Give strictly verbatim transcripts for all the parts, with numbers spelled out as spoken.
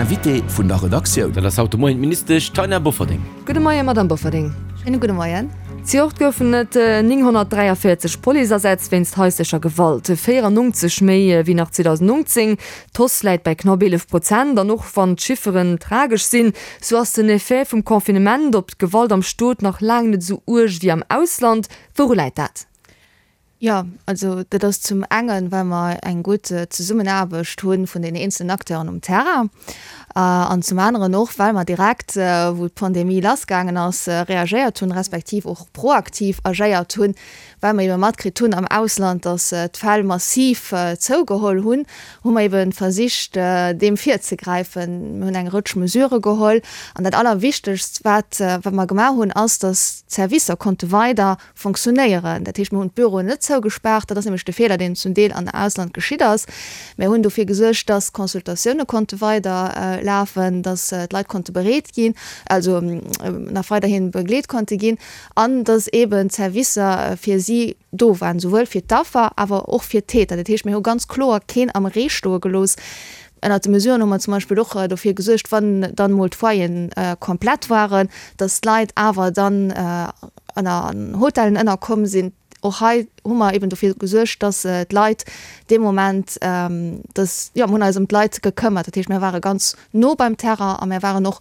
Invité vun der Redaktioun. Dat ass haut de Moien d'Ministesch Taina Bofferding. Gudde Moien, Madamm Bofferding. Schéine gudde Moien. Zejoert goufen et nénghonnertdräiavéierzeg Policeasätz wéinst haislecher Gewalt, véierannonzeg méi wéi nach zweedausendnonzéng. D'Hausse läit bäi knapp eelef Prozent. An och wann d'Chifferen tragesch sinn, sou ass den Effet vum Confinement op d'Gewalt am Stot nach laang net esou uerg wéi am Ausland. Wouru läit dat? Jo, also dat ass zum engen, well mer eng gutt Zesummenaarbecht hu vun den eenzelen Acteuren um Terrain an zum aneren och, well mer direkt, wou d'Pandemie lassgaangen ass, reagéiert hunn, respektiv och proaktiv agéiert hunn, well mer ebe matkritt hunn am Ausland, datt d'Fäll massiv zougeholl hunn, hu mer ebe versicht, deem virzegräifen. Mir hunn eng Rëtsch Mesurë geholl an dat Allerwichtegst, wat mer gemaach hunn, ass, datt d'Servicer konnte weider fonctionnéieren. Dat heescht, mir hunn d'Büroen net zougespaart, dat ass nämlech de Feeler, deen zum Deel an Ausland geschitt ass. Mir hunn dofir gesuergt, dass d'Consultatioune konnte weider lafen, dass d'Leit konnte bereet ginn, also nach weiderhi begleet konnte ginn an dass eeben d'Servicer fir si do waren, souwuel fir d'Affer, awer och fir d'Täter. Dat heescht, mir hu ganz kloer keen am Ree stoe gelooss. Ënnert de Mesuren hu mer zum Beispill och dofir gesuergt, wann dann emol d'Foyeren komplett waren, dass d'Leit awer dann ënner an Hotellen ënnerkomm sinn. Och hei hu mer eben dofir gesuergt, dass d'Leit dee Moment, dass, jo, mir hunn eis ëm d'Leit gekëmmert. Dat heescht, mir ware ganz no beim Terrain a mir waren och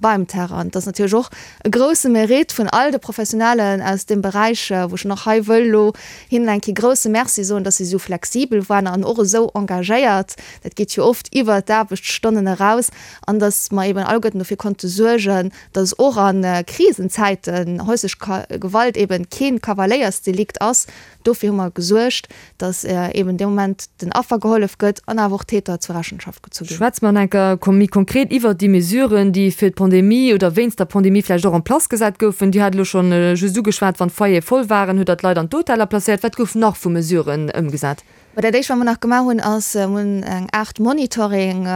beim Terrain. An et ass natierlech och e grouse Mérite vun all de Professionellen aus deem Beräich, wou ech nach hei wëll elo hinnen eng Kéier grouse Merci soen, dass si esou flexibel waren an och esou engagéiert. Dat geet jo oft iwwert d'Aarbechtsstonnen eraus. An dass mer eben alleguerten dofir konnte suergen, dass och a Krisenzäiten häuslech Gewalt eben kee Kavaléiersdelikt ass. Dofir hu mer gesuergt, dass eben dee Moment den Affer gehollef gëtt an awer och d'Täter zur Rechenschaft gezu ginn. Schwätze mer nach eng Kéier méi konkret iwwert déi Mesuren, déi fir d'Pandemie oder wéinst der Pandemie vläicht och en place gesat goufen. Dir hat elo scho just ugeschwat, wann d'Foyere voll waren, hutt Der d'Leit an d'Hoteller placéiert. Wat gouf nach vu Mesuren ëmgesat? Mä dat Éischt, wat mer nach gemaach hunn, ass, mir hunn eng Aart Monitoring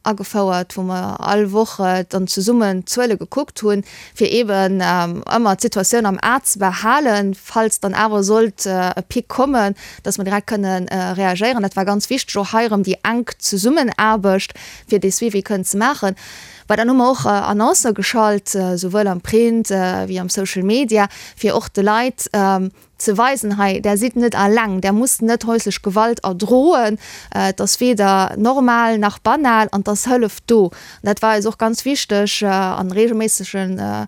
agefouert, wou mer all Woch dann zesummen d'Zuele gekuckt hunn, fir eeben ëmmer d'Situatioun am A ze behalen, falls dann awer sollt e Pic kommen, dass mer direkt kënne reagéieren. Dat war ganz wichteg, och hei erëm déi enk Zesummenaarbecht, fir dee Suivi kënnen ze maachen. Bah, dann hu mer och Annoncë geschalt, souwuel am Print wéi am Social Media, fir och de Leit ze weisen, hei, där sidd net alleng, där musst net häuslech Gewalt erdroen, et ass weder normal nach banal an et ass Hëllef do. An dat war eis och ganz wichteg, a reegelméissege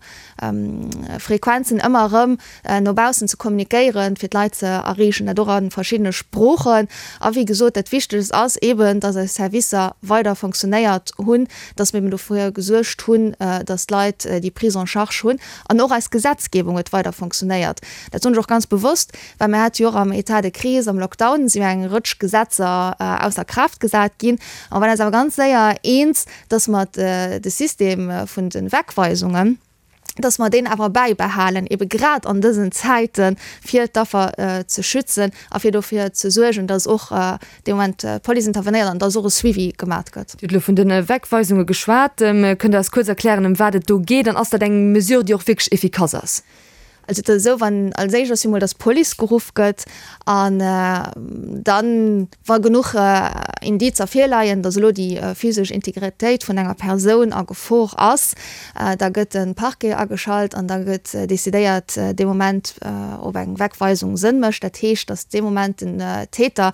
Frequenzen ëmmer erëm no baussen ze kommunikéieren, fir d'Leit ze erreechen, dat och a verschiddene Sproochen. A wéi gesot, dat Wichtegst ass eeben, dass eis Servicer weider fonctionnéiert hunn, dass mir eben dofir gesuergt hunn, dass d'Leit déi Prise en charge hunn an och eis Gesetzgebung huet weider fonctionnéiert. Dat soen ech och ganz bewosst, well mir hate jo och am État de crise, am Lockdown si jo eng Rëtsch Gesetzer ausser Kraaft gesat ginn. A mer waren eis awer ganz séier eens, dass mer de System vun de Wegweisungen, dass mer deen awer bäibehalen, ebe grad an dësen Zäiten, fir d'Affer ze schützen a fir dofir ze suergen, dass och dee Moment d'Police intervenéiert an dass och e Suivi gemat gëtt. Dir hutt elo vun de Wegweisunge geschwat. Kënnt Der eis kuerz erklären, ëm wat et do geet? An ass dat eng Mesure, déi och wierklech effikass ass? Also et ass esou, wann als éischt ass jo mol, dass d'Police geruff gëtt an dann, wa genuch Indizer virleien, dass elo déi physesch Integritéit vun enger Persoun a Gefor ass, da gëtt de Parquet ageschalt an da gëtt decidéiert dee Moment, ob eng Wegweisung Sënn mécht. Dat heescht, dass dee Moment den Täter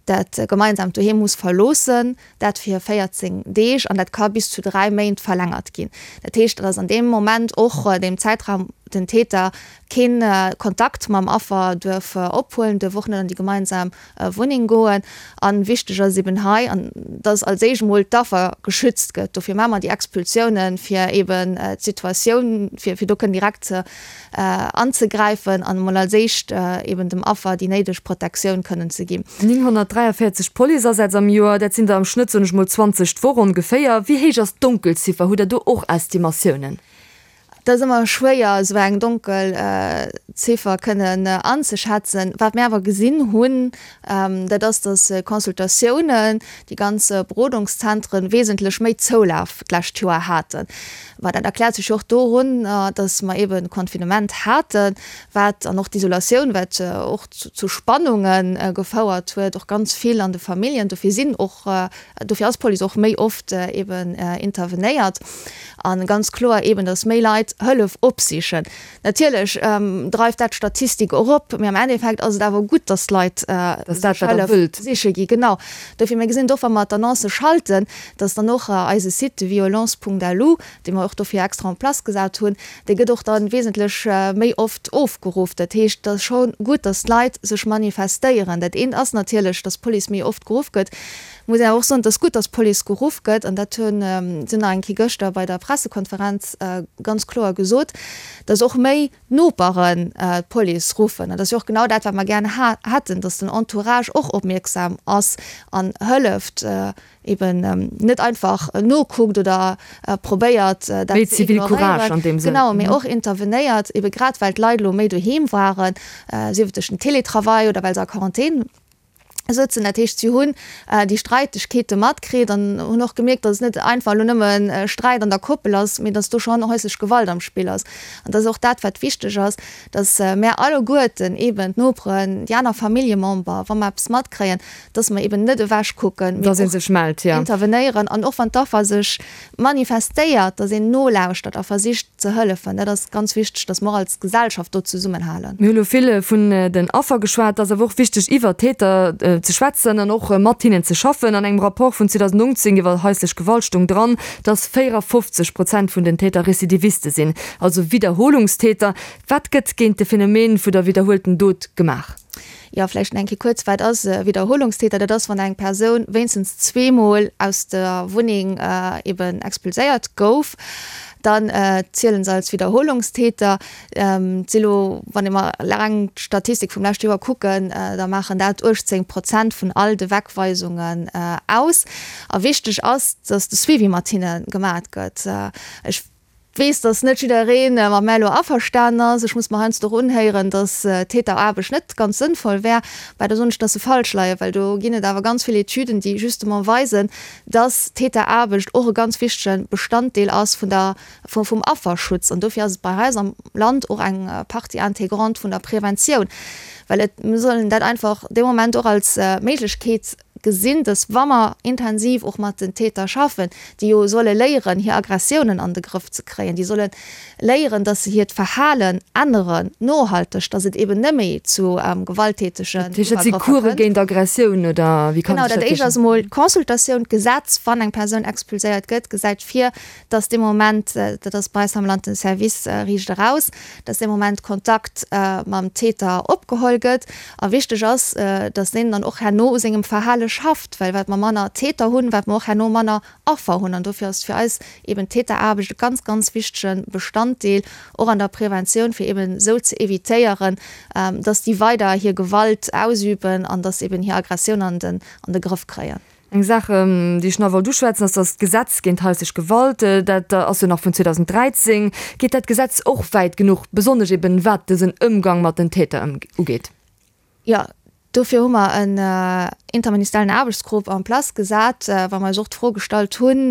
dat gemeinsaamt Doheem muss verloossen, dat fir véierzéng Deeg, an dat ka bis zu dräi Méint verlängert ginn. Dat heescht, dass an deem Moment och, deem Zäitraum, den Täter kee Kontakt mam Affer duerf ophuelen, duerf och net an déi gemeinsam Wunneng goen. A wichteg ass eben hei, dass als éischt emol d'Affer geschützt gëtt. Dofir maache mer déi Expulsiounen, fir eben d'Situatioun, fir do kënnen direkt ze anzegräifen an emol als éischt eben dem Affer déi néideg Protektioun kënnen ze ginn. nénghonnertdräiavéierzeg Policeasätz am Joer, dat sinn der am Schnëtt, soen ech mol, zwanzeg d'Woch ongeféier. Wéi héich ass d'Donkelziffer? Hutt Der do och Estimatiounen? Et ass ëmmer schwéier, esou eng donkel Ziffer kënnen anzeschätzen. Wat mir awer gesinn hunn, dat ass, dass Consultatiounen, déi ganz Berodungszentren wesentlech méi Zoulaf d'lescht Joer haten. Mä dat erkläert sech jo och dorun, dass mer eeben Confinement haten, wat, an och d'Isolatioun, wat och zu Spannunge gefouert huet, och ganz vill an de Familljen. Dofir sinn och, dofir ass d'Police och méi oft eeben intervenéiert. A ganz kloer eeben, dass méi Leit Hëllef opsichen. Natierlech dreift dat d'Statistik erop, mee am Endeffekt ass et awer gutt, dass d'Leit sech Hëllef siche gi. Genau. Dofir, mir gesinn et och, wa mer d'Annoncë schalten, dass dann och eise Site violence punkt lu, dee mer och dofir extra en place gesat hunn, dee gëtt och da wesentlech méi oft ofgeruff. Dat heescht, et ass scho gutt, dass d'Leit sech manifestéieren. Dat eent ass natierlech, dass d'Police méi oft geruff gëtt. Muss een awer och soen, et ass gutt, dass d'Police geruff gëtt, an dat hunn se nach eng Kéier gëschter bei der Pressekonferenz ganz kloer gesot, dass och méi Noperen d'Police ruffen. An dat ass jo och genau dat, wat mer gär hätten, dass den Entourage och opmierksam ass an hëlleft, eben net einfach nokuckt oder probéiert, dat Méi ze ignoréieren. Zivilcourage an deem Sënn. Genau, mee och intervenéiert, ebe grad well d'Leit elo méi doheem waren, sief et duerch den Télétravail oder well se a Quarantän sëtzen. Dat heescht, si hunn déi Streitegkeete matkritt an hunn och gemierkt, datt et net einfach elo nëmme Sträit an der Koppel ass, mee datt do schonn häuslech Gewalt am Spill ass. An dat ass och dat, wat wichteg ass, datt mär alleguerten, eben d'Noperen, déi aner Familljemember, wa mer eppes matkréien, datt mer eben net ewechkucken, mee och intervenéieren. An och wann d'Affer sech manifestéiert, datt een nolauschtert a versicht ze hëllefen. Dat ass ganz wichteg, datt mer och als Gesellschaft do zesummenhalen. Mir hu elo vill vun den Affer geschwat. Et ass awer och wichteg, iwwer d'Täter ze schwätzen an och mat hinnen ze schaffen. An engem Rapport vun zweedausendnongzéng iwwer haislech Gewalt stoung dran, datt véierafofzeg Prozent vun den Täter Rezidiviste sinn, also Widderholungstäter. Wat gëtt géint de Phänomen vu der widderhuelten Dot gemaach? Jo, vläicht nach eng Kéier kuerz, Wat ass e Widderholungstäter? Dat ass, wann eng Persoun wéinstens zweemol aus der Wunneng eben expulséiert gouf. Dann zielen se als Wiederholungstäter. Et si lo, wann ee mer reng d'Statistik vum leschte Joer kucken, da maachen dat uechtzéng Prozent vun all de Wegweisungen aus. A wichteg ass, datt de Suivi mat hinne gemat gëtt. Ech weess, datt net jidderee mat mär elo averstanen ass. Ech muss mer heiansdo och unhéieren, datt Täteraarbecht net ganz sënnvoll wär. Mä do soen ech, datt se falsch leien, well do ginn et awer ganz vill Etüden, déi justement weisen, datt Täteraarbecht och e ganz wichtege Bestanddeel ass vun der, vum Afferschutz. An dofir ass et bei eis am Land och eng Partie intégrante vun der Preventioun, well et, mir sollen dat einfach dee Moment och als Méiglechkeet gesinn, datt wa mer intensiv och mat den Täter schaffen, déi jo solle léieren, hir Aggressiounen an de Grëff ze kréien, déi solle léieren, datt se hiert Verhalen änneren, nohalteg, datt et eben net méi zu gewalttätegen Dat heescht, dat si Iwwergrëffer Course kënnt. géint Aggressioun, oder wéi kann Genau, ech dat dat éischt ass virstellen? emol d'Consultatioun. D'Gesetz, wann eng Persoun expulséiert gëtt, gesäit vir, datt dee Moment, dat ass bei eis am Land den Service Riicht Eraus, datt dee Moment Kontakt mam Täter opgeholl gëtt. A wichteg ass, datt deen dann och herno u sengem Verhale schafft, well wat mer manner Täter hunn, wat mer och herno manner Affer hunn. An dofir ass fir eis eben d'Täteraarbecht e ganz, ganz wichtege Bestanddeel och an der Preventioun, fir eben esou ze evitéieren, datt déi weider hir Gewalt ausüben an datt se eben hir Aggressioun an den an de Grëff kréien. Eng Saach, déi ech nach wollt uschwätzen, ass, dass d'Gesetz géint haislech Gewalt, dat ass jo nach vun zweedausenddräizéng, geet dat Gesetz och wäit genuch, besonnesch eben wat dësen Ëmgang mat den Täter ugeet? Jo, dofir hu mer en interministeriellen Aarbechtsgrupp en place gesat, well mer eis och d'Fro gestallt hunn,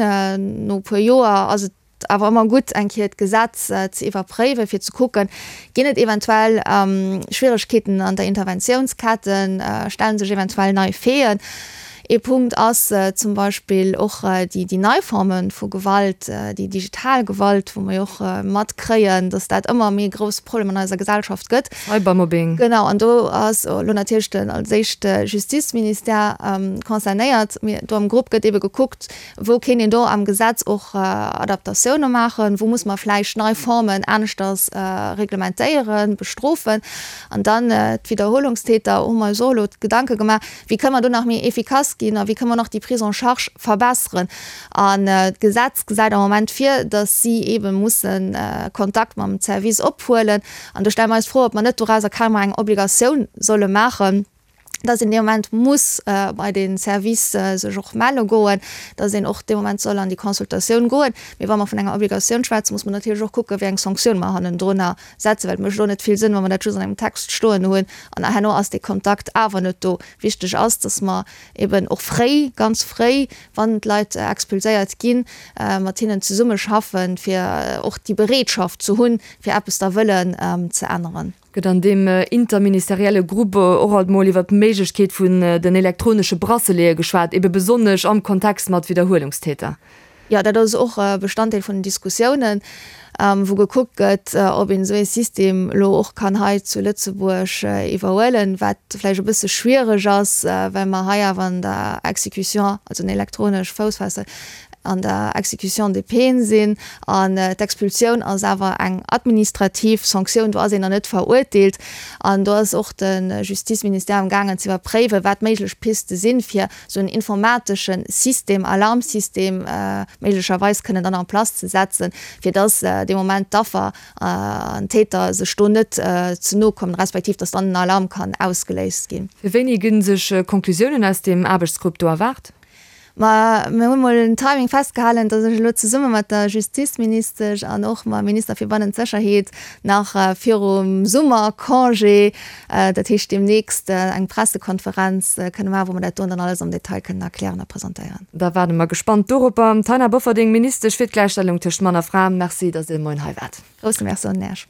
no e puer Joer ass et awer ëmmer gutt, eng Kéier d'Gesetz ze iwwerpréiwen, fir ze kucken, ginn et eventuell Schwieregkeeten an der Interventiounsketten, stelle sech eventuell nei Faiten. Ee Punkt ass zum Beispill och déi nei Forme vu Gewalt, déi digital Gewalt, wou mer jo och matkréien, datt dat ëmmer méi e grousse Problem an eiser Gesellschaft gëtt. Cybermobbing. Genau, an do ass elo natierlech den als éischt de Justizministère concernéiert. Mee do am Grupp gëtt eebe gekuckt, Wou kéint een do am Gesetz och Adaptatioune maachen? Wou muss mer vläicht nei Formen aneschters reglementéieren, bestrofen? An dann d'Widderholungstäter, hu mer eis och elo Gedanke gemaach, wéi kënne mer do nach méi efficace ginn a wéi kënne mer nach déi Prise en charge verbesseren? An d'Gesetz gesäit am Moment vir, datt si eebe musse Kontakt mam Service ophuelen. An do stelle mer eis d'Fro, ob mer net dorauser carrément eng Obligatioun solle maachen, dass een dee Moment muss bei de Service sech och melle goen, dass een och dee Moment soll an déi Consultatioun goen. Mee wa mer vun enger Obligatioun schwätzen, muss mer natierlech och kucken, wéi eng Sanktioun mer hannendrunner setzen, well et mécht och net vill Sënn, wa mer dat just an engem Text stoen hunn an herno ass dee Kontakt awer net do. Wichteg ass, dass mer eben och fréi, ganz fréi, wann d'Leit expulséiert ginn, mat hinnen zesummeschaffen, fir och déi Bereetschaft ze hunn, fir eppes da wëllen ze änneren. Gëtt an deem interministerielle Grupp och alt mol iwwer d'Méiglechkeet vun den elektronesche Bracelete geschwat, ebe besonnesch am Kontext mat Widderhuelungstäter? Jo, dat ass och e Bestanddeel vun den Diskussiounen, wou gekuckt gëtt, ob een esou ee System elo och kann hei zu Lëtzebuerg iwwerhuelen, wat vläicht e bësse schwiereg ass, well mer hei awer an der Exécution, also en elektronesch Foussfessel, an der Exécution des peines sinn an d'Expulsioun ass awer eng administrativ Sanktioun, do ass een nach net verurteelt. An do ass och de Justizministère am gaangen ze iwwerpréiwen, wat méiglech Piste sinn, fir esou en informatesche System, Alarmsystem méiglecherweis kënnen dann en place ze setzen, fir dass dee Moment d'Affer an d'Täter sech do net ze no kommen, respektiv dass dann en Alarm kann ausgeléist ginn. Fir wéini gi sech Conclusiounen aus deem Aarbechtsgrupp do erwaart? Ma mir hu mol en Timing festgehalen, datt ech elo zesumme mat der Justizministesch an och mam Minister fir bannent Sécherheet nach virum Summercongé, dat heescht deemnächst, eng Pressekonferenz kënne maachen, wou mer dat do dann alles am Detail kënnen erklären a presentéieren. Da waarde mer gespannt doropper. Taina Bofferding, Ministesch fir d'Gläichstellung tëscht Mann a Fra, Merci, datt Dir de Moien hei waart. Grousse Merci un Iech.